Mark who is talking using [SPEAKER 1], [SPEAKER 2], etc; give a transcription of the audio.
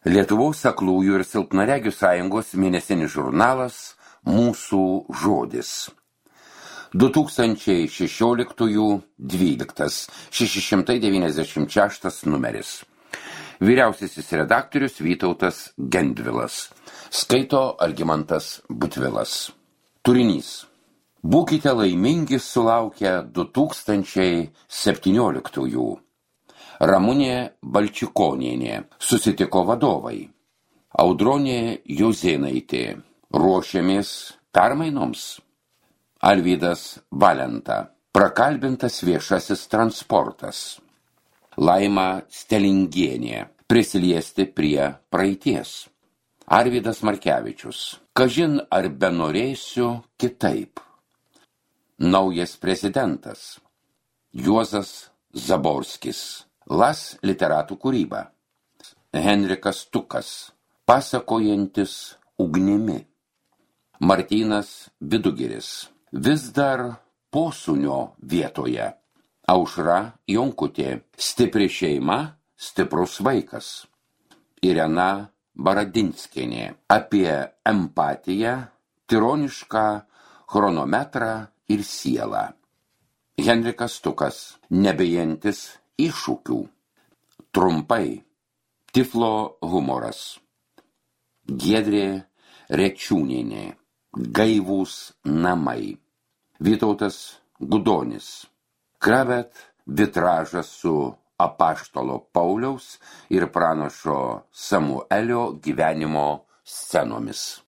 [SPEAKER 1] Lietuvos aklųjų ir silpnaregių sąjungos mėnesinis žurnalas Mūsų žodis. 2016-12 696 numeris. Vyriausiasis redaktorius Vytautas Gendvilas. Skaito Algimantas Butvilas. Turinys. Būkite laimingi sulaukę 2017. Ramunė Balčikonienė. Susitiko vadovai. Audronė Jozėnaitė. Ruošiamės permainoms. Alvydas Valenta. Prakalbintas viešasis transportas. Laima Stelingienė. Prisiliesti prie praeities. Arvydas Markevičius. Kažin ar benorėsiu kitaip. Naujas prezidentas. Juozas Zaborskis. Las literatų kūryba. Henrikas Tukas. Pasakojantis ugnimi. Martynas Vidugiris. Vis dar posūnio vietoje. Aušra Jonkutė. Stipri šeima, stiprus vaikas. Irena Baradinskienė. Apie empatiją, tironišką chronometrą ir sielą. Henrikas Tukas. Nebijantis iššūkių. Trumpai. Tiflo humoras. Giedrė Rečiūnienė. Gaivūs namai. Vytautas Gudonis. Kravet vitražas su apaštalo Pauliaus ir pranašo Samuelio gyvenimo scenomis.